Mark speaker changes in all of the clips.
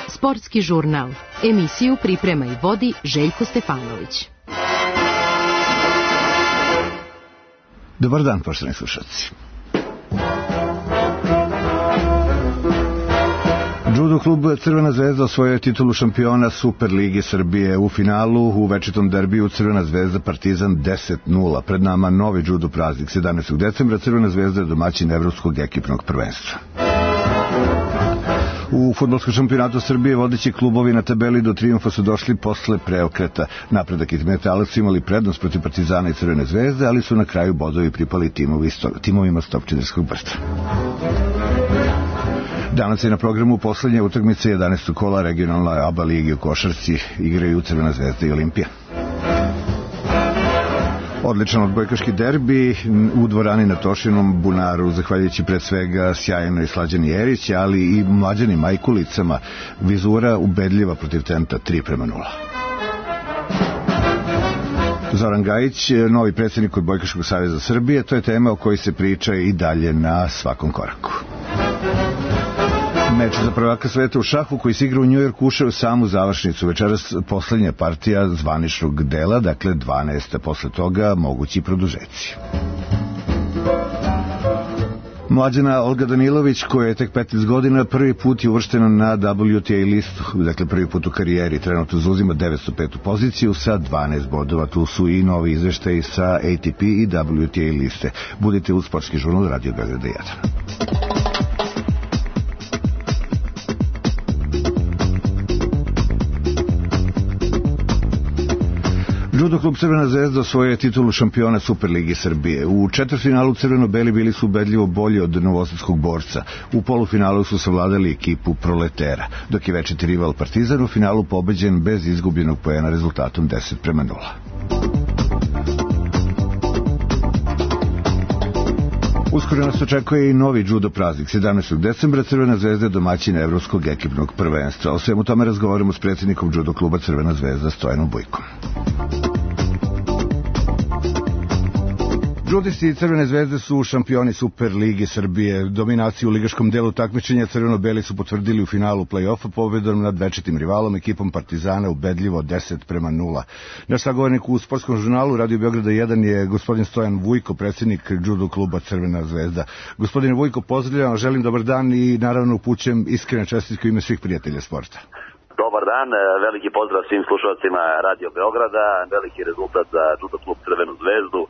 Speaker 1: Sportski žurnal. Emisiju priprema i vodi Željko Stefanović.
Speaker 2: Dobar dan, poštovani slušalci. Judo klub Crvena zvezda osvojio je titulu šampiona Super Lige Srbije. U finalu u večitom derbiju Crvena zvezda Partizan 10:0. Pred nama novi judo praznik. 17. decembra Crvena zvezda je domaćin evropskog ekipnog prvenstva. U fudbalskom šampionatu Srbije vodeći klubovi na tabeli do trijumfa su došli posle preokreta. Napredak i Metalac su imali prednost protiv Partizana i Crvene zvezde, ali su na kraju bodovi pripali timovima Stopčiderskog Brda. Danas je na programu poslednje utakmice 11. kola regionalne ABA ligi u košarci, igraju Crvena zvezda i Olimpija. Odličan odbojkaški derbi u dvorani na Tošinom bunaru, zahvaljujući pred svega sjajnoj Slađani Jerić, ali i mlađanim Majkulicama. Vizura ubedljiva protiv Tenta 3:0. Zoran Gajić, novi predsjednik Odbojkaškog saveza Srbije, to je tema o kojoj se priča i dalje na svakom koraku. Meč za prvaka sveta u šahu koji se igra u Njujorku ušao u samu završnicu. Večeras poslednja partija zvaničnog dela, dakle 12. posle toga mogući produžeci. Mlađana Olga Danilović, koja je tek 15 godina, prvi put je uvrštena na WTA listu, dakle prvi put u karijeri. Trenutno zauzima 905. poziciju sa 12 bodova. Tu su i novi izveštaji sa ATP i WTA liste. Budite uz Sportski žurnal Radio Beograda 1. Judo klub Crvena zvezda osvojio je titulu šampiona Super Ligi Srbije. U četvrtfinalu crveno-beli bili su ubedljivo bolji od novosadskog borca. U polufinalu su savladali ekipu Proletera, dok je večiti rival Partizan u finalu pobeđen bez izgubljenog poena rezultatom 10:0. Uskoro nas očekuje i novi judo praznik. 17. decembra Crvena zvezda je domaćin evropskog ekipnog prvenstva. O svemu tome razgovaramo s predsjednikom judo kluba Crvena zvezda Stojanom Bujkom. Judisti Crvene zvezde su šampioni Super Lige Srbije. Dominaciju u ligaškom delu takmičenja crveno-beli su potvrdili u finalu play-offa pobedom nad večitim rivalom ekipom Partizana ubedljivo 10:0. Naš sagovornik u Sportskom žurnalu Radio Beograda 1 je gospodin Stojan Vujko, predsjednik judo kluba Crvena zvezda. Gospodine Vujko, pozdravljam, želim dobar dan i naravno upućujem iskrene čestitke u ime svih prijatelja sporta.
Speaker 3: Dobar dan, veliki pozdrav svim slušalcima Radio Beograda, veliki rezultat za judo klub Crvenu zvezdu.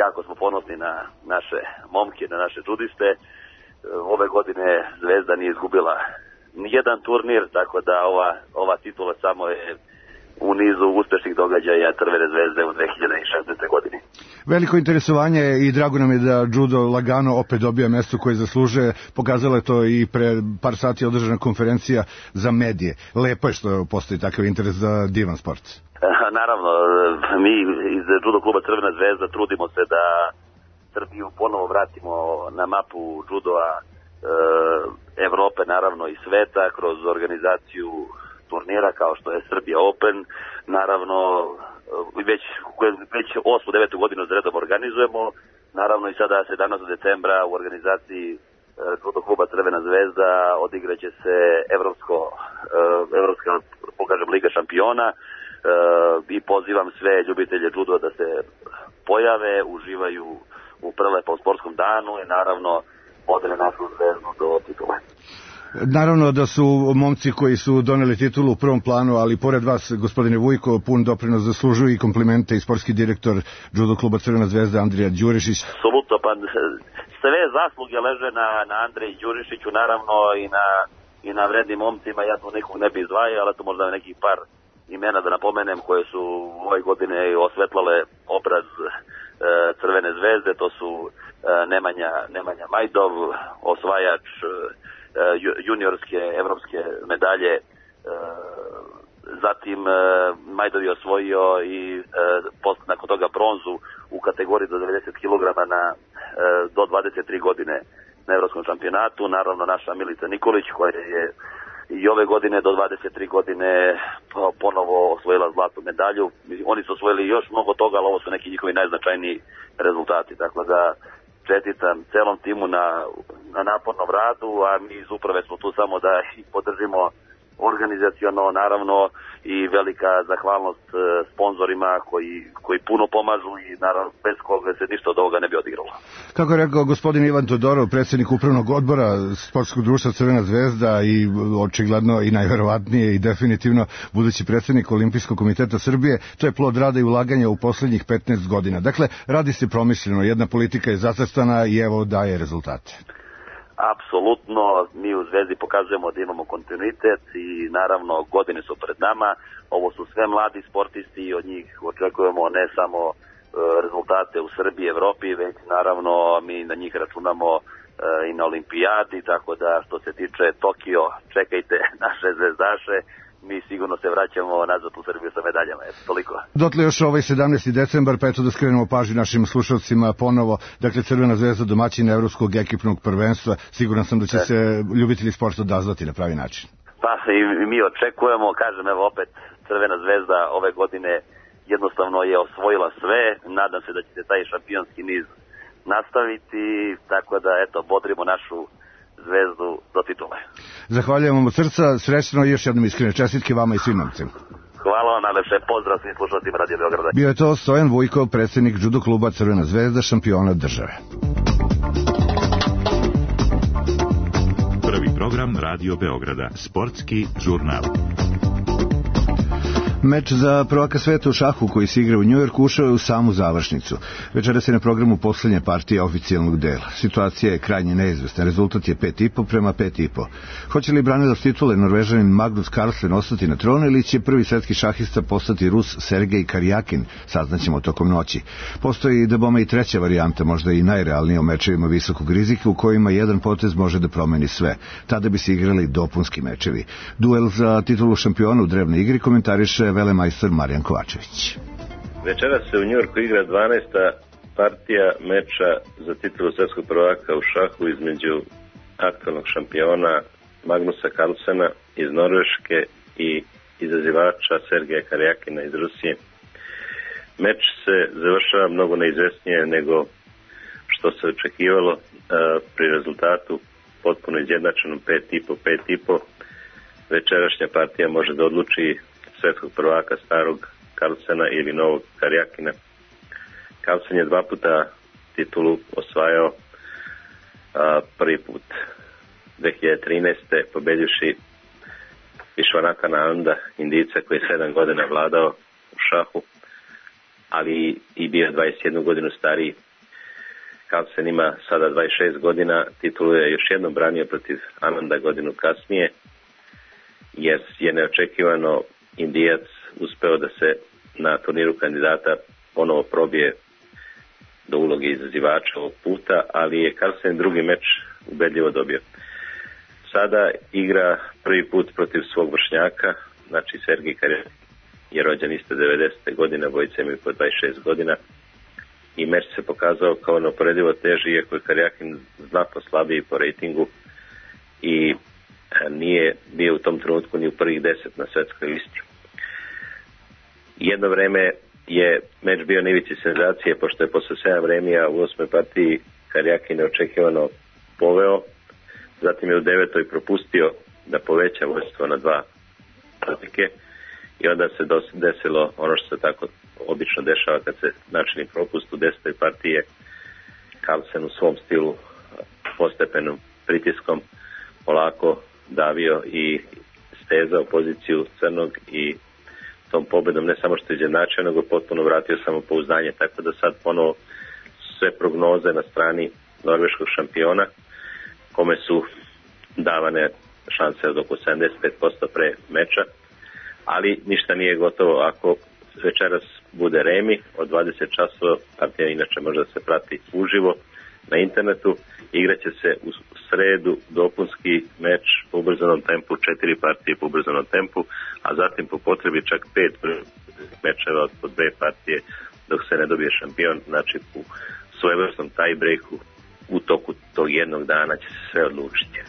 Speaker 3: Jako smo ponosni na naše momke, na naše judiste. Ove godine Zvezda nije izgubila nijedan turnir, tako da ova titula samo je u nizu uspešnih događaja Crvene zvezde u 2016. godini.
Speaker 2: Veliko interesovanje i drago nam je da judo lagano opet dobija mesto koje zaslužuje. Pokazala je to i pre par sati održana konferencija za medije. Lepo je što postoji takav interes za divan sport.
Speaker 3: Naravno, mi iz judo kluba Crvena zvezda trudimo se da Srbiju ponovo vratimo na mapu judoa Evrope, naravno i sveta, kroz organizaciju turnira kao što je Srbija Open. Naravno, već 8-9 godinu za redom organizujemo. Naravno i sada 17. decembra u organizaciji judo kluba Crvena zvezda odigraće se evropska, pokažem, Liga šampiona. I pozivam sve ljubitelje judo da se pojave, uživaju u prelepom sportskom danu i naravno odre našu zvezdu do titule.
Speaker 2: Naravno da su momci koji su doneli titulu u prvom planu, ali pored vas, gospodine Vujko, pun doprinos zaslužuju i komplimente i sportski direktor judo kluba Crvena zvezda Andrija Đurišić.
Speaker 3: Apsolutno, pa sve zasluge leže na Andreji Đurišiću, naravno i na vrednim momcima. Ja tu nekog ne bi izdvajao, ali to možda nekih par imena da napomenem koje su ove godine osvetlale obraz Crvene zvezde. To su Nemanja Majdov, osvajač juniorske evropske medalje. Zatim Majdov je osvojio i nakon toga bronzu u kategoriji do 90 kg do 23 godine na evropskom šampionatu. Naravno naša Milica Nikolić koja je i ove godine do 23 godine ponovo osvojila zlatnu medalju. Oni su osvojili još mnogo toga, ali ovo su neki njihovi najznačajniji rezultati. Dakle da čestitam celom timu na napornom radu, a mi iz uprave smo tu samo da ih podržimo organizaciono, naravno, i velika zahvalnost sponzorima koji puno pomažu i naravno bez koga se ništa od ovoga ne bi odigralo.
Speaker 2: Kako je rekao gospodin Ivan Todorov, predsjednik upravnog odbora sportskog društva Crvena zvezda i očigledno i najverovatnije i definitivno budući predsjednik Olimpijskog komiteta Srbije, to je plod rada i ulaganja u posljednjih 15 godina. Dakle, radi se promišljeno, jedna politika je zacrtana i evo daje rezultate.
Speaker 3: Apsolutno, mi u Zvezdi pokazujemo da imamo kontinuitet i naravno godine su pred nama. Ovo su sve mladi sportisti i od njih očekujemo ne samo rezultate u Srbiji, Evropi, već naravno mi na njih računamo i na olimpijadi, tako da što se tiče Tokio, čekajte naše zvezdaše, mi sigurno se vraćamo nazad u Srbiju sa medaljama. Eto, toliko.
Speaker 2: Dotle još 17. decembar, pa eto da skrenemo pažnju našim slušalcima ponovo. Dakle, Crvena zvezda domaćin Evropskog ekipnog prvenstva. Siguran sam da će se ljubitelji sporta odazvati na pravi način.
Speaker 3: Pa i mi očekujemo, kažem, evo opet Crvena zvezda ove godine jednostavno je osvojila sve. Nadam se da će se taj šampionski niz nastaviti, tako da eto, bodrimo našu Zvezdu do titule.
Speaker 2: Zahvaljujem vam od srca, srećno i još jednom iskrene čestitke vama i svim momcima.
Speaker 3: Hvala vam, najlepše, pozdrav svim slušateljima Radio Beograda.
Speaker 2: Bio je to Stojan Vujkov, predsjednik judo kluba Crvena zvezda, šampiona države.
Speaker 4: Prvi program Radio Beograda, sportski žurnal.
Speaker 2: Meč za prvaka sveta u šahu koji se igra u Njujorku ušao je u samu završnicu. Večeras je na programu poslednja partija oficijalnog dela. Situacija je krajnje neizvesna. Rezultat je 5,5 prema 5,5. Hoće li branilac titule Norvežanin Magnus Carlsen ostati na tronu ili će prvi svetski šahista postati Rus Sergej Karjakin? Saznaćemo tokom noći. Postoji da i treća varijanta, možda i najrealnija u mečevima visokog rizika u kojima jedan potez može da promeni sve. Tada bi se igrali dopunski mečevi. Duel za titulu šampiona u drevnoj igri komentariše velemajstor Marijan Kovačević.
Speaker 5: Večeras se u Njujorku igra 12. partija meča za titulu svetskog prvaka u šahu između aktualnog šampiona Magnusa Carlsena iz Norveške i izazivača Sergeja Karjakina iz Rusije. Meč se završava mnogo neizvesnije nego što se očekivalo pri rezultatu potpuno izjednačenom 5,5. Večerašnja partija može da odluči svetskog prvaka starog Carlsena ili novog Karjakina. Carlsen je 2 puta titulu osvajao, prvi put 2013. pobedivši Višvanakana Ananda, Indijca koji je 7 godina vladao u šahu, ali i bio 21 godinu stariji. Carlsen ima sada 26 godina, titulu je još jednom branio protiv Ananda godinu kasnije, jer je neočekivano Indijac uspeo da se na turniru kandidata ponovo probije do uloge izazivača ovog puta, ali je Carlsen drugi meč ubedljivo dobio. Sada igra prvi put protiv svog vršnjaka, znači Sergej Karjakin je rođen iste 90. godine, obojica imaju po 26 godina i meč se pokazao kao neuporedivo teži, iako je Karjakin znatno slabiji po rejtingu i nije bio u tom trenutku ni u prvih 10 na svetskoj listi. Jedno vreme je meč bio na ivici senzacije, pošto je posle 7 vremija u 8. partiji Karjakin neočekivano poveo, zatim je u 9. propustio da poveća vodstvo na 2 razlike i onda se desilo ono što se tako obično dešava kad se načini propust. U 10. partiji je Carlsen u svom stilu postepenom pritiskom polako davio i stezao poziciju crnog i tom pobedom ne samo što je izjednačio, nego potpuno vratio samopouzdanje, tako da sad ponovo sve prognoze na strani norveškog šampiona, kome su davane šanse od oko 75% pre meča, ali ništa nije gotovo. Ako večeras bude remi od 20 časova, partija inače može da se prati uživo na internetu, igraće se u sredu dopunski meč po ubrzanom tempu, 4 partije po ubrzanom tempu, a zatim po potrebi čak 5 mečeva od po 2 partije dok se ne dobije šampion, znači u svojevrsnom tie breaku u toku tog jednog dana će se sve odlučiti.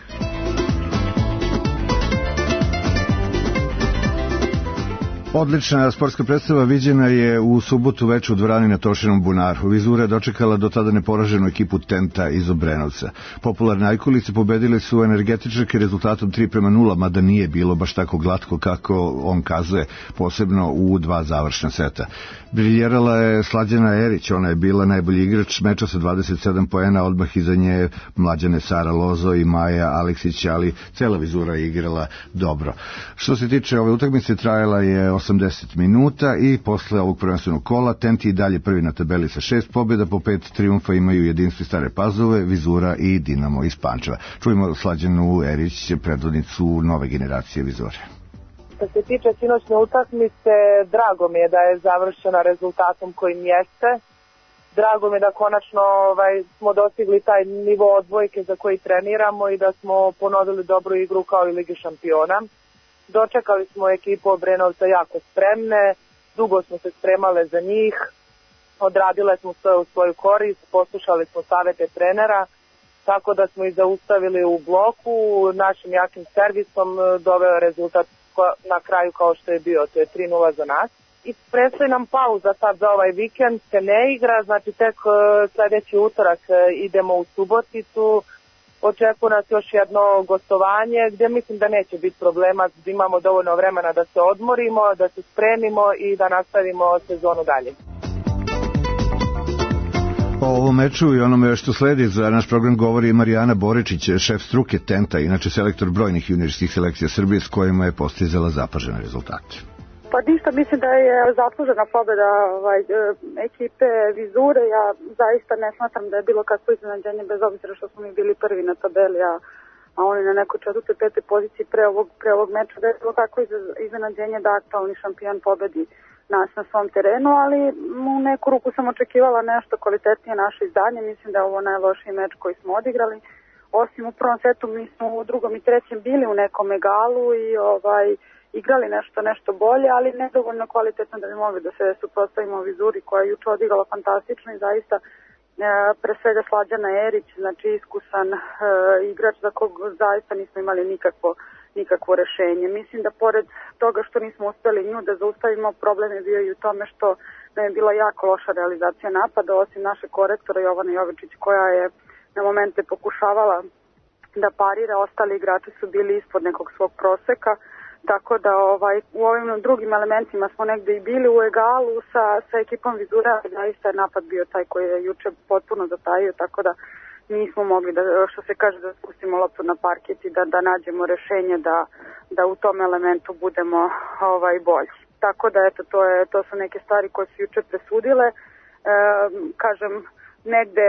Speaker 2: Odlična sportska predstava viđena je u subotu veče u dvorani na Tošinom bunaru. Vizura je dočekala do tada neporaženu ekipu Tenta iz Obrenovca. Popularne ajkulice pobedile su energetičarke rezultatom 3:0, mada nije bilo baš tako glatko kako on kazuje, posebno u 2 završna seta. Briljerala je Slađana Erić, ona je bila najbolji igrač meča sa 27 poena, odmah iza nje mlađane Sara Lozo i Maja Aleksić, ali cela Vizura je igrala dobro. Što se tiče ove utakmice, trajala je 80 minuta i posle ovog prvenstvenog kola Tenti i dalje prvi na tabeli sa 6 pobjeda, po 5 trijumfa imaju Jedinstvo Stare Pazove, Vizura i Dinamo iz Pančeva. Čujemo Slađanu Erić, predvodnicu nove generacije Vizure.
Speaker 6: Što se tiče sinoćne utakmice, drago mi je da je završena rezultatom kojim jeste. Drago mi je da konačno smo dostigli taj nivo odbojke za koji treniramo i da smo ponovili dobru igru kao i Ligi šampiona. Dočekali smo ekipu Obrenovca jako spremne, dugo smo se spremale za njih, odradile smo sve u svoju korist, poslušali smo savete trenera, tako da smo ih zaustavili u bloku, našim jakim servisom doveo rezultat na kraju kao što je bio, to je 3:0 za nas. I predstoji nam pauza sad za ovaj vikend, se ne igra, znači tek sledeći utorak idemo u Suboticu, očekuje nas još jedno gostovanje gdje mislim da neće biti problema, imamo dovoljno vremena da se odmorimo, da se spremimo i da nastavimo sezonu dalje.
Speaker 2: O ovom meču i onome što sledi za naš program govori Marijana Boričić, šef struke Tenta, inače selektor brojnih juniorskih selekcija Srbije s kojima je postizala zapažene rezultate.
Speaker 7: Pa ništa, mislim da je zaslužena pobjeda ekipe Vizure. Ja zaista ne smatram da je bilo kakvo iznenađenje, bez obzira što smo mi bili prvi na tabeli, a oni na nekoj 4. 5. poziciji pre ovog meča, da je bilo kakvo iznenađenje da aktualni šampion pobedi nas na svom terenu, ali u neku ruku sam očekivala nešto kvalitetnije naše izdanje. Mislim da je ovo najlošiji meč koji smo odigrali. Osim u prvom setu, mi smo u drugom i trećem bili u nekom egalu i igrali nešto bolje, ali nedovoljno kvalitetno da bi mogli da se suprotstavimo Vizuri koja je juče odigrala fantastično i zaista pre svega Slađana Erić, znači iskusan igrač za kog zaista nismo imali nikakvo rešenje. Mislim da pored toga što nismo uspeli nju da zaustavimo, problem je bio i u tome što nam je bila jako loša realizacija napada, osim naše korektora Jovana Jovičić koja je na momente pokušavala da parira, ostali igrači su bili ispod nekog svog proseka. Tako da u ovim drugim elementima smo negde i bili u egalu sa ekipom Vizura, zaista je napad bio taj koji je juče potpuno zatajio, tako da nismo mogli da, što se kaže, da spustimo loptu na parket i da nađemo rešenje da u tom elementu budemo bolji. Tako da eto, to su neke stvari koje su juče presudile. Kažem, negde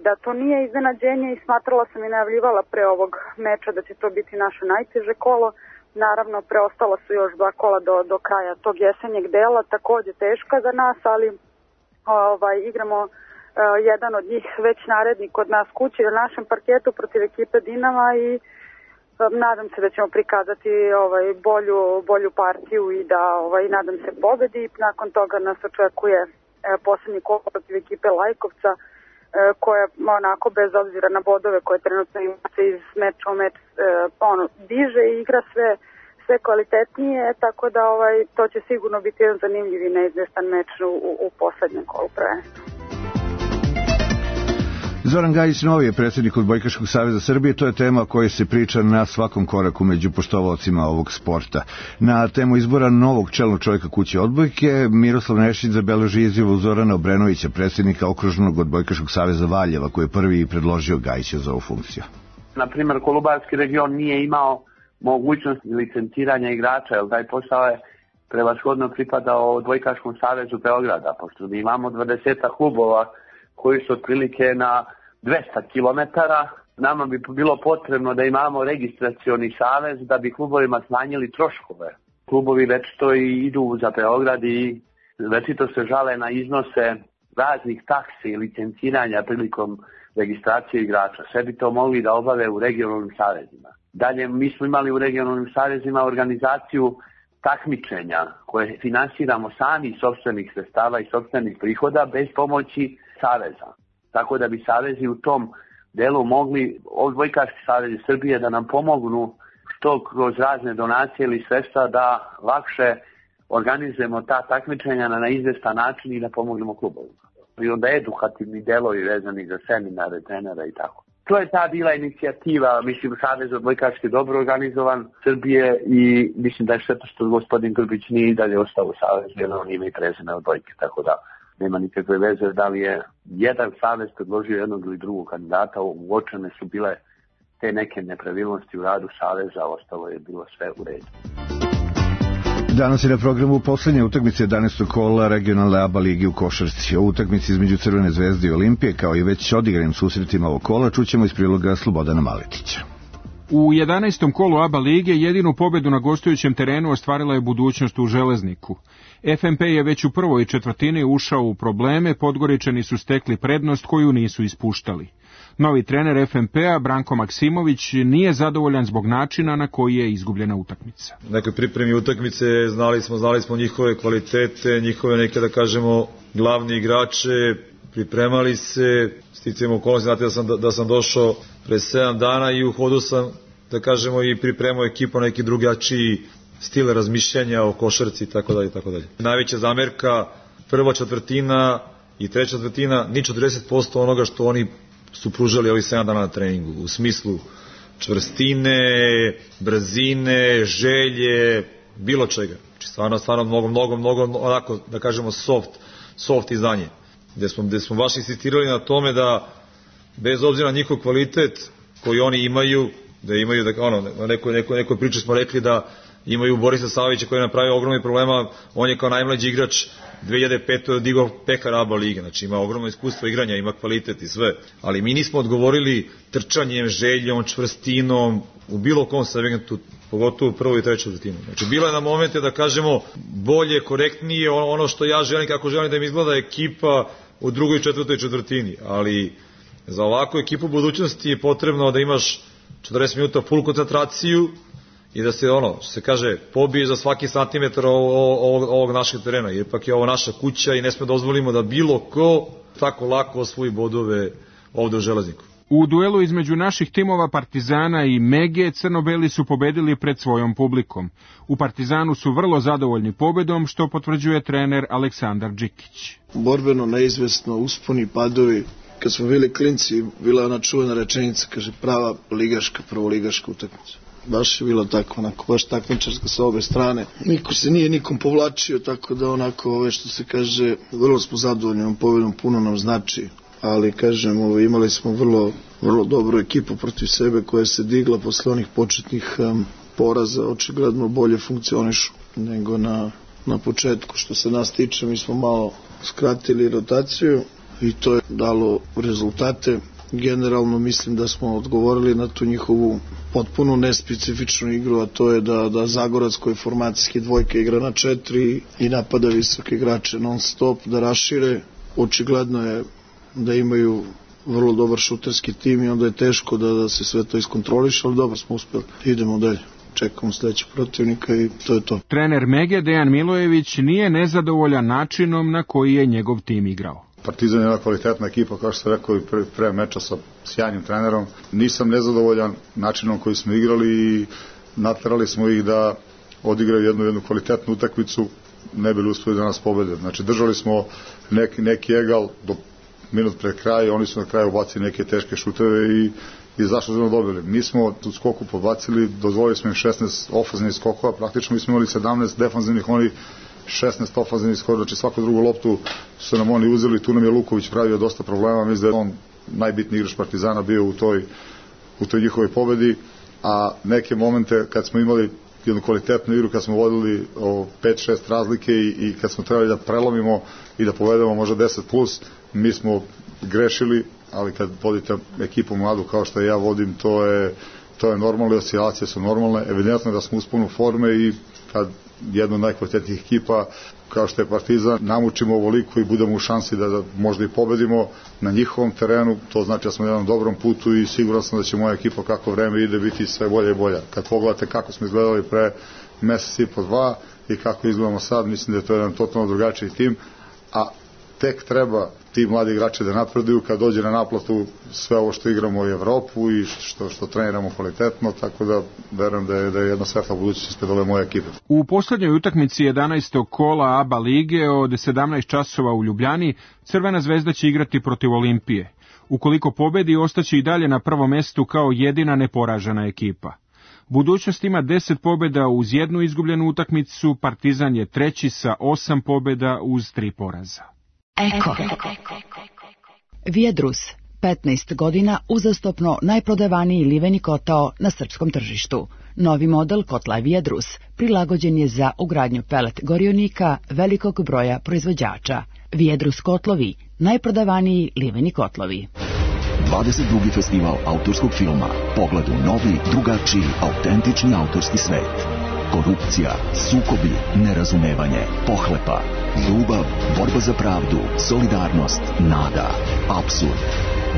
Speaker 7: da to nije iznenađenje i smatrala sam i najavljivala pre ovog meča da će to biti naše najteže kolo. Naravno, preostala su još 2 kola do kraja tog jesenjeg dela, takođe teška za nas, ali igramo jedan od njih već naredni kod nas kući na našem parketu protiv ekipe Dinama i nadam se da ćemo prikazati bolju partiju i da nadam se pobedi. Nakon toga nas očekuje poslednji kolo protiv ekipe Lajkovca, koja onako bez obzira na bodove koje trenutno ima se iz meča u meč diže i igra sve kvalitetnije, tako da to će sigurno biti jedan zanimljiv i neizvestan meč u poslednjem kolu prvenstva.
Speaker 2: Zoran Gajić Novi je predsjednik Odbojkaškog saveza Srbije, to je tema o kojoj se priča na svakom koraku među poštovaocima ovog sporta. Na temu izbora novog čelnog čovjeka kuće odbojke, Miroslav Nešić zabeleži izjavu Zorana Obrenovića, predsjednika Okružnog Odbojkaškog saveza Valjeva, koji je prvi predložio Gajića za ovu funkciju.
Speaker 8: Na primjer, Kolubarski region nije imao mogućnost licenciranja igrača, jer taj posao je prevashodno pripadao Odbojkaškom savezu Beograda, pošto mi imamo 20 klubova koji su otprilike na 200 km, nama bi bilo potrebno da imamo registracioni savez da bi klubovima smanjili troškove. Klubovi večito i idu za Beograd i večito se žale na iznose raznih taksi i licenciranja prilikom registracije igrača. Sve bi to mogli da obave u regionalnim savezima. Dalje, mi smo imali u regionalnim savezima organizaciju takmičenja koje finansiramo sami iz sopstvenih sredstava i sopstvenih prihoda bez pomoći saveza. Tako da bi savezi u tom delu mogli, Odbojkaški savez Srbije, da nam pomognu što kroz razne donacije ili sredstva da lakše organizujemo ta takmičenja na izvestan način i da pomognemo klubovima. I onda edukativni delovi vezani za seminare, trenera i tako. To je ta bila inicijativa, mislim, Savez odbojkaški dobro organizovan Srbije i mislim da je šteta što gospodin Grbić nije i dalje ostao u Savezu, jer on ima i prezime odbojke, tako da nema nikakve veze da li je jedan savez predložio jednog ili drugog kandidata, uočene su bile te neke nepravilnosti u radu saveza, ostalo je bilo sve u redu.
Speaker 2: Danas je na programu poslednje utakmice 11. kola regionalne ABA ligi u košarci. O utakmici između Crvene zvezde i Olimpije, kao i već odigranim susretima ovog kola, čućemo iz priloga Slobodana Maletića.
Speaker 9: U 11. kolu ABA lige jedinu pobedu na gostujućem terenu ostvarila je Budućnost u Železniku. FNP je već u prvoj četvrtini ušao u probleme, Podgoričani su stekli prednost koju nisu ispuštali. Novi trener FNP-a, Branko Maksimović, nije zadovoljan zbog načina na koji je izgubljena utakmica.
Speaker 10: U nekoj pripremi utakmice znali smo njihove kvalitete, njihove neke, da kažemo, glavni igrače, pripremali se, sticajem okolnosti, znate da sam došao pre 7 dana i u hodu sam, da kažemo, i pripremao ekipu na neki drugačiji stil razmišljanja o košarci i tako dalje, tako dalje. Najveća zamerka, prva četvrtina i treća četvrtina, ni 40% onoga što oni su pružali ovih 7 dana na treningu, u smislu čvrstine, brzine, želje, bilo čega. Znači stvarno mnogo, onako, da kažemo, soft izdanje. Gde smo baš insistirali na tome da, bez obzira na njihov kvalitet koji oni imaju, da imaju, nekoj priči smo rekli da imaju Borisa Savića koji je napravio ogromni problema, on je kao najmlađi igrač 2005. digao pekar ABA lige, znači ima ogromno iskustvo igranja, ima kvalitet i sve, ali mi nismo odgovorili trčanjem, željom, čvrstinom, u bilo kom segmentu, pogotovo u prvoj i trećoj četvrtini. Znači bilo je na momente da kažemo bolje, korektnije, ono što ja želim, kako želim da im izgleda ekipa u drugoj i četvrtoj četvrtini, ali za ovakvu ekipu budućnosti je potrebno da imaš 40 minuta full koncentraciju i da se, što se kaže, pobije za svaki santimetar ovog našeg terena, jer ipak je ovo naša kuća i ne sme dozvolimo da bilo ko tako lako osvoji bodove ovde u Železniku.
Speaker 9: U duelu između naših timova Partizana i Mege, crno-beli su pobedili pred svojom publikom. U Partizanu su vrlo zadovoljni pobedom, što potvrđuje trener Aleksandar Đikić.
Speaker 11: Borbeno, neizvesno, usponi, padovi. Kad smo bili klinci, bila je ona čuvena rečenica, kaže, prava ligaška, prvoligaška utakmica. Baš je bilo tako, onako, baš takmičarska sa obe strane. Niko se nije nikom povlačio, tako da onako, što se kaže, vrlo smo zadovoljni ovom pobedom, puno nam znači. Ali, kažem, imali smo vrlo dobru ekipu protiv sebe koja se digla posle onih početnih poraza, očigledno bolje funkcionišu nego na početku. Što se nas tiče, mi smo malo skratili rotaciju i to je dalo rezultate. Generalno mislim da smo odgovorili na tu njihovu potpuno nespecifičnu igru, a to je da Zagorac koji formacijski dvojka igra na 4 i napada visoke igrače non stop, da rašire. Očigledno je da imaju vrlo dobar šuterski tim i onda je teško da se sve to iskontroliše, ali dobro smo uspeli. Idemo dalje. Čekamo sledećeg protivnika i to je to.
Speaker 9: Trener Mege, Dejan Milojević, nije nezadovoljan načinom na koji je njegov tim igrao.
Speaker 12: Partizan je jedna kvalitetna ekipa, kao što se rekao i pre meča sa sjajnim trenerom. Nisam nezadovoljan načinom koji smo igrali i naterali smo ih da odigraju jednu kvalitetnu utakmicu, ne bili uspeli da nas pobede. Znači držali smo neki egal do minut pre kraja, oni su na kraju ubacili neke teške šuteve i zašto smo dobili. Mi smo u skoku podbacili, dozvolili smo im 16 ofanzivnih skokova, praktično mi smo imali 17 defanzivnih, oni 16 ofanzivnih skokova, znači svaku drugu loptu su nam oni uzeli, tu nam je Luković pravio dosta problema, mislim da je on najbitniji igrač Partizana bio u toj njihovoj pobedi, a neke momente kad smo imali jednu kvalitetnu igru, kad smo vodili 5-6 razlike i kad smo trebali da prelomimo i da povedemo možda 10+, mi smo grešili, ali kad vodite ekipu mladu kao što ja vodim, to je normalno, oscilacije su normalne, evidentno da smo usponu forme i kad jedna od najkvalitetnijih ekipa kao što je Partizan namučimo ovoliko i budemo u šansi da možda i pobedimo na njihovom terenu, to znači da smo na jednom dobrom putu i siguran sam da će moja ekipa kako vreme ide biti sve bolje i bolja. Kad pogledate kako smo izgledali pre mesec i po 2 i kako izgledamo sad, mislim da je to jedan totalno drugačiji tim, a tek treba ti mladi igrači da napreduju, kad dođe na naplatu sve ovo što igramo u Evropu i što treniramo kvalitetno, tako da verujem da je jedna svetla budućnost ispred ove moje ekipe.
Speaker 9: U poslednjoj utakmici 11. kola ABA lige od 17 časova u Ljubljani Crvena zvezda će igrati protiv Olimpije. Ukoliko pobedi, ostaće i dalje na prvom mestu kao jedina neporažena ekipa. Budućnost ima 10 pobjeda uz jednu izgubljenu utakmicu, Partizan je treći sa 8 pobjeda uz 3 poraza.
Speaker 13: Eko. Viedrus, 15 godina uzastopno najprodavaniji liveni kotao na srpskom tržištu. Novi model kotla Viedrus prilagođen je za ugradnju pelet gorionika velikog broja proizvođača. Viedrus kotlovi, najprodavaniji liveni kotlovi.
Speaker 14: 22. festival autorskog filma. Pogled u novi, drugačiji, autentični autorski svet. Korupcija, sukobi, nerazumevanje, pohlepa, ljubav, borba za pravdu, solidarnost, nada, apsurd.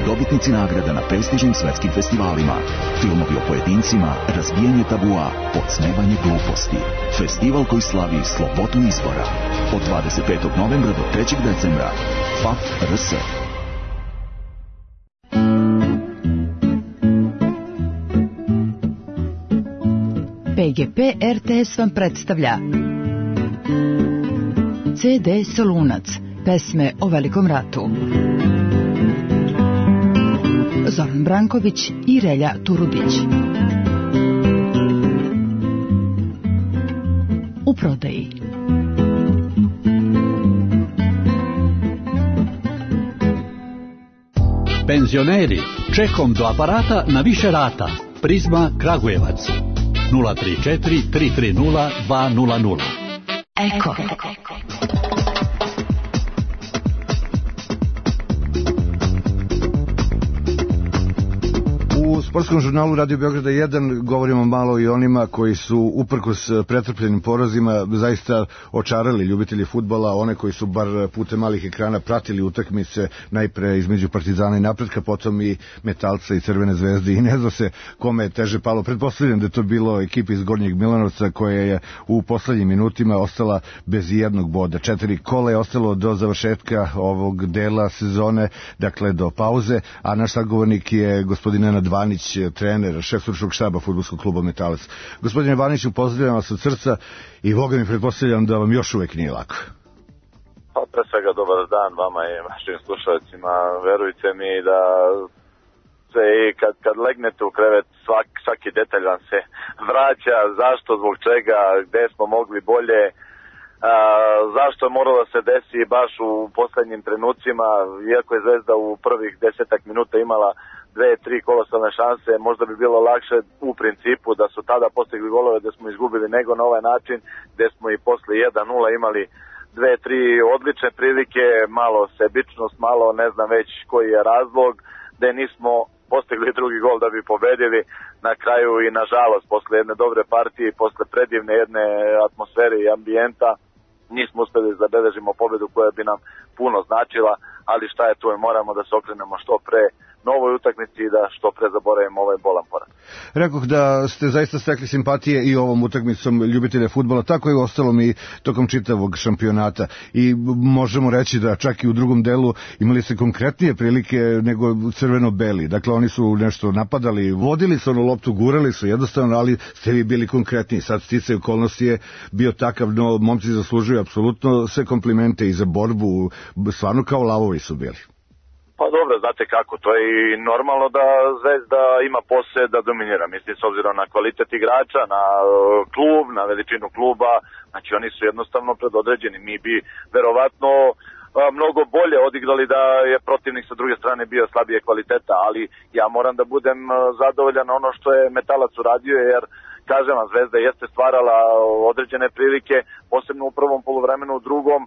Speaker 14: Dobitnici nagrada na prestižnim svetskim festivalima. Filmovi o pojedincima, razbijanje tabua, podsmevanje gluposti. Festival koji slavi slobodu izbora. Od 25. novembra do 3. decembra. FAF RS.
Speaker 13: PGP RTS vam predstavlja CD Solunac, pesme o Velikom ratu. Zoran Branković i Relja Turudić. U prodaji.
Speaker 15: Penzioneri, čekom do aparata na više rata. Prizma Kragujevac. 034 330 200.
Speaker 13: Eko.
Speaker 2: U sportskom žurnalu Radio Beograda 1 govorimo malo i onima koji su uprkos pretrpljenim porazima zaista očarali ljubitelji fudbala, one koji su bar putem malih ekrana pratili utakmice najpre između Partizana i Napretka, potom i Metalca i Crvene zvezde i ne zna se kome je teže palo. Pretpostavljam da je to bilo ekipa iz Gornjeg Milanovca koja je u poslednjim minutima ostala bez jednog boda. 4 kola je ostalo do završetka ovog dela sezone, dakle do pauze, a naš sagovornik je gospodin Nenad Vanić, trener, šef stručnog štaba fudbalskog kluba Metalac. Gospodine Vaniću, pozdravljam vas od srca i Boga mi pretpostavljam da vam još uvek nije lako.
Speaker 16: Pa pre svega dobar dan vama i vašim slušalcima. Verujte mi da se kad legnete u krevet svaki detalj vam se vraća, zašto, zbog čega, gde smo mogli bolje, zašto je moralo da se desi baš u poslednjim trenucima, iako je Zvezda u prvih 10 minuta imala 2-3 kolostalne šanse, možda bi bilo lakše u principu da su tada postigli golove da smo izgubili nego na ovaj način, gde smo i posle 1-0 imali 2-3 odlične prilike, malo sebičnost, malo ne znam već koji je razlog, gde nismo postigli drugi gol da bi pobedili na kraju i nažalost posle jedne dobre partije i posle predivne jedne atmosfere i ambijenta nismo uspeli da zabeležimo pobedu koja bi nam puno značila, ali šta je tu, moramo da se okrenemo što pre novoj utakmici i da što pre zaboravimo ovaj bolan poraz.
Speaker 2: Rekoh da ste zaista stekli simpatije i ovom utakmicom ljubitelja fudbala, tako je ostalo mi tokom čitavog šampionata i možemo reći da čak i u drugom delu imali se konkretnije prilike nego crveno-beli. Dakle, oni su nešto napadali, vodili su onu loptu, gurali su jednostavno, ali ste vi bili konkretniji. Sad sticaj okolnosti je bio takav, no momci zaslužuju apsolutno sve komplimente i za borbu, stvarno kao lavovi su bili.
Speaker 16: Pa dobro, znate kako, to je i normalno da Zvezda ima posle da dominira, mislim s obzirom na kvalitet igrača, na klub, na veličinu kluba, znači oni su jednostavno predodređeni, mi bi verovatno mnogo bolje odigrali da je protivnik sa druge strane bio slabije kvaliteta, ali ja moram da budem zadovoljan ono što je Metalac uradio, jer kažem vam, Zvezda jeste stvarala određene prilike, posebno u prvom poluvremenu, u drugom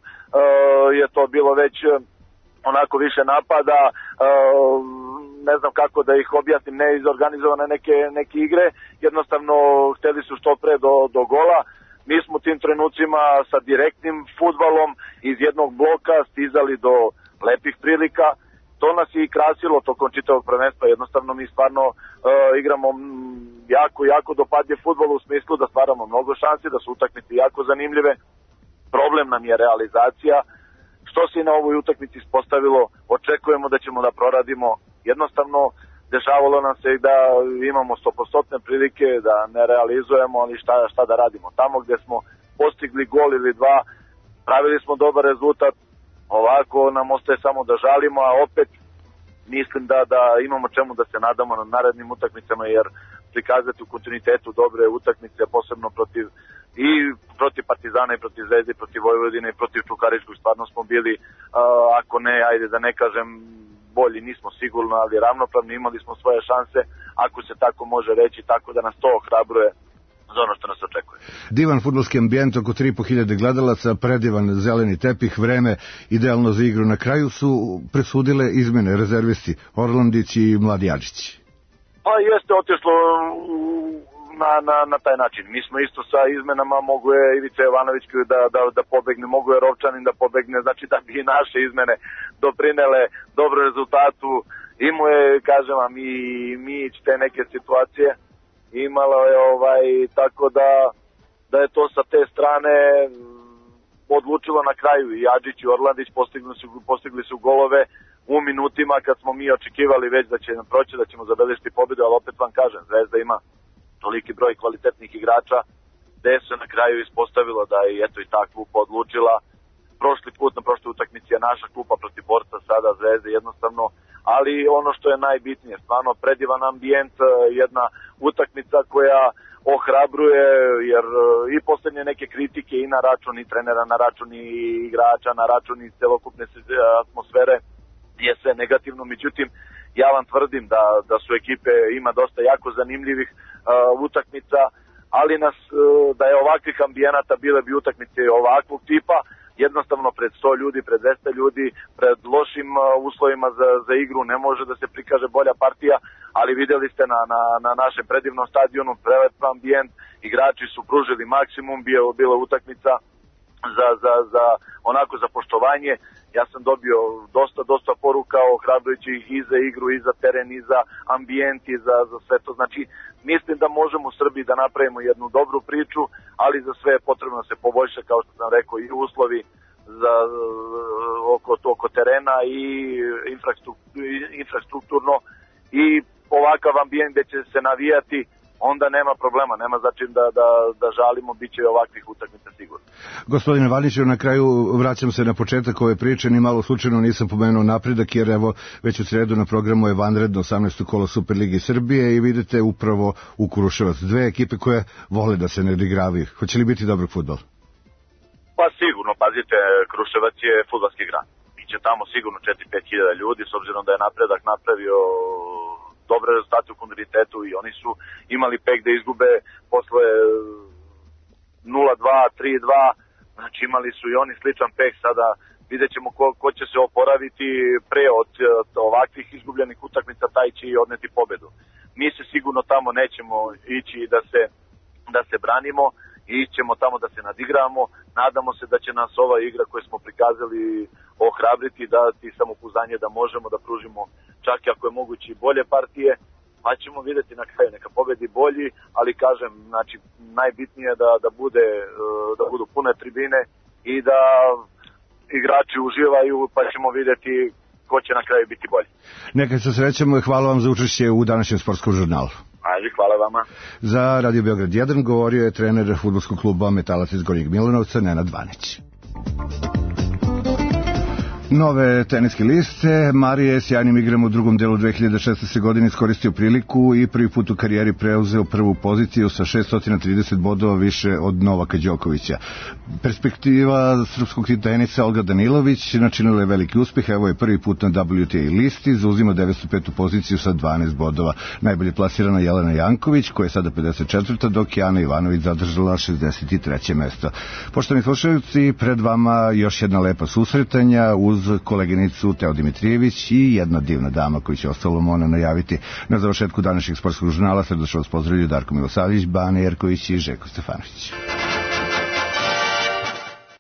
Speaker 16: je to bilo već onako više napada, ne znam kako da ih objasnim, neizorganizovane neke igre, jednostavno hteli su što pre do gola. Mi smo u tim trenucima sa direktnim fudbalom iz jednog bloka stizali do lepih prilika, to nas je i krasilo tokom čitavog prvenstva, jednostavno mi stvarno igramo jako dopadljiv fudbal u smislu da stvaramo mnogo šansi, da su utakmice jako zanimljive, problem nam je realizacija, što se i na ovoj utakmici ispostavilo, očekujemo da ćemo da proradimo. Jednostavno, dešavalo nam se i da imamo 100% prilike, da ne realizujemo, ali šta da radimo. Tamo gde smo postigli gol ili dva, pravili smo dobar rezultat, ovako nam ostaje samo da žalimo, a opet mislim da imamo čemu da se nadamo na narednim utakmicama, jer prikazati u kontinuitetu dobre utakmice, posebno protiv Partizana i protiv Zvezde i protiv Vojvodine i protiv Čukaričkog, stvarno smo bili, ako ne, ajde da ne kažem bolji, nismo sigurno, ali ravnopravni, imali smo svoje šanse, ako se tako može reći, tako da nas to ohrabruje za ono što nas očekuje.
Speaker 2: Divan fudbalski ambijent, oko 3.500 gledalaca, predivan zeleni tepih, vreme idealno za igru. Na kraju su presudile izmene, rezervisti Orlandić i Mladi Adžić.
Speaker 16: Pa jeste otišlo na taj način. Mi smo isto sa izmenama, mogu je Ivica Jovanović da pobegne, mogu je Rovčanin da pobegne, znači da bi i naše izmene doprinele dobro rezultatu. Imao je, kažem vam, i Mijić te neke situacije, imalo je tako da je to sa te strane odlučilo na kraju. I Adžić i Orlandić postigli su golove u minutima kad smo mi očekivali već da će nam proći, da ćemo zabeležiti pobedu, ali opet vam kažem, Zvezda ima toliki broj kvalitetnih igrača, gde se na kraju ispostavilo da je eto i ta klupa odlučila. Prošli put na prošloj utakmici je naša klupa protiv Borca, sada Zvezde jednostavno, ali ono što je najbitnije, stvarno predivan ambijent, jedna utakmica koja ohrabruje, jer i poslednje neke kritike i na račun i trenera, na račun i igrača, na račun i celokupne atmosfere je sve negativno, međutim ja vam tvrdim da su ekipe, ima dosta jako zanimljivih utakmica, ali da je ovakvih ambijenata bile bi utakmice ovakvog tipa, jednostavno pred 100 ljudi, pred 200 ljudi, pred lošim uslovima za igru ne može da se prikaže bolja partija, ali videli ste na našem predivnom stadionu prelepan ambijent, igrači su pružili maksimum, bila utakmica za poštovanje. Ja sam dobio dosta poruka ohrabrujućih i za igru, i za teren, i za ambijent, i za sve to. Znači, mislim da možemo u Srbiji da napravimo jednu dobru priču, ali za sve je potrebno da se poboljša, kao što sam rekao, i uslovi oko terena i infrastrukturno, i ovakav ambijent gde će se navijati, onda nema problema, nema znači da žalimo, bit će ovakvih utakmica sigurno.
Speaker 2: Gospodine Vanićev, na kraju vraćam se na početak ove priče, ni malo slučajno nisam pomenuo napredak, jer evo već u sredu na programu je vanredno 18. kolo Superligi Srbije i vidite upravo u Kruševac dve ekipe koje vole da se ne odigravaju. Hoće li biti dobrog fudbala?
Speaker 16: Pa sigurno, pazite, Kruševac je fudbalski grad. Biće tamo sigurno 4-5 hiljada ljudi, s obzirom da je napredak napravio dobre rezultate u kontinuitetu i oni su imali pek da izgube posle 0-2, 3-2, znači imali su i oni sličan pek. Sada vidjet ćemo ko će se oporaviti pre od ovakvih izgubljenih utakmica, taj će i odneti pobedu. Mi se sigurno tamo nećemo ići da se branimo, ićemo tamo da se nadigramo, nadamo se da će nas ova igra koju smo prikazali ohrabriti, dati samopouzdanje da možemo da pružimo čak i ako je moguće i bolje partije, pa ćemo vidjeti na kraju, neka pobedi bolji, ali kažem, znači najbitnije je da budu pune tribine i da igrači uživaju, pa ćemo vidjeti ko će na kraju biti bolji.
Speaker 2: Nekad se srećemo i hvala vam za učešće u današnjem sportskom žurnalu.
Speaker 16: Ajde, hvala vama.
Speaker 2: Za Radio Beograd 1 govorio je trener fudbalskog kluba Metalac iz Gornjeg Milanovca, Nenad Vanić. Nove teniske liste. Marije je sjajnim igrama u drugom delu 2016. godine iskoristio priliku i prvi put u karijeri preuzeo prvu poziciju sa 630 bodova više od Novaka Đokovića. Perspektiva srpskog tenisa Olga Danilović načinila je veliki uspeh, evo je prvi put na WTA listi, zauzima 905. poziciju sa 12 bodova. Najbolje plasirana Jelena Janković, koja je sada 54. dok je Ana Ivanović zadržala 63. mesto. Poštovani slušalci, pred vama još jedna lepa susretanja uz koleginicu Teo Dimitrijević i jedna divna dama koju će ostalo Mona najaviti na završetku današnjeg sportskog žurnala. Srdačno vas pozdravljaju Darko Milosavljević, Bane Jerković i Željko Stefanović.